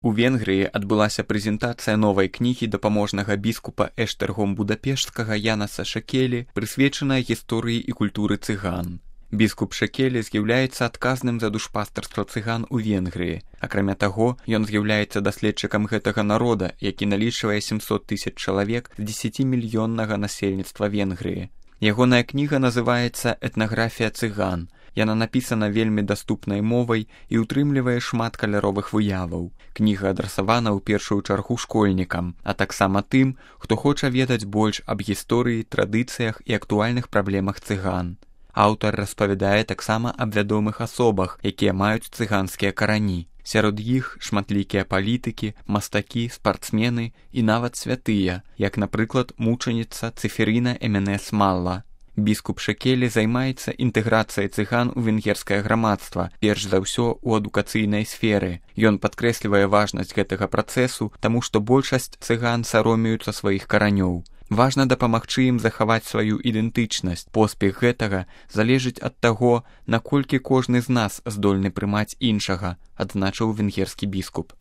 У Венгрыі адбылася прэзентацыя новай кнігі дапаможнага біскупа Эштэргом Будапешцкага Янаса Шекелі, прысвечаная гісторыі і культуры цыган. Біскуп Шекелі з'яўляецца адказным за душпастарства цыган у Венгрыі. Акрамя таго, ён з'яўляецца даследчыкам гэтага народа, які налічвае 700 000 чалавек з 10-мільённага насельніцтва Венгрыі. Ягоная кніга называецца «Этнаграфія цыган». Яна напісана вельмі даступнай мовай і ўтрымлівае шмат каляровых выяваў. Кніга адрасавана ў першую чаргу школьнікам, а таксама тым, хто хоча ведаць больш аб гісторыі, традыцыях і актуальных праблемах цыган. Аўтар распавядае таксама аб вядомых асобах, якія маюць цыганскія карані. Сярод іх шматлікія палітыкі, мастакі, спартсмены і нават святыя, як, напрыклад, мучаніца Цеферіна Эменес Малла. Біскуп Шекелі займаецца інтэграцыяй цыган у венгерскае грамадства, перш за ўсё ў адукацыйнай сферы. Ён падкрэслівае важнасць гэтага працэсу, таму што большасць цыган саромеюцца сваіх каранёў. Важна дапамагчы ім захаваць сваю ідэнтычнасць. Поспех гэтага залежыць ад таго, наколькі кожны з нас здольны прымаць іншага, адзначыў венгерскі біскуп.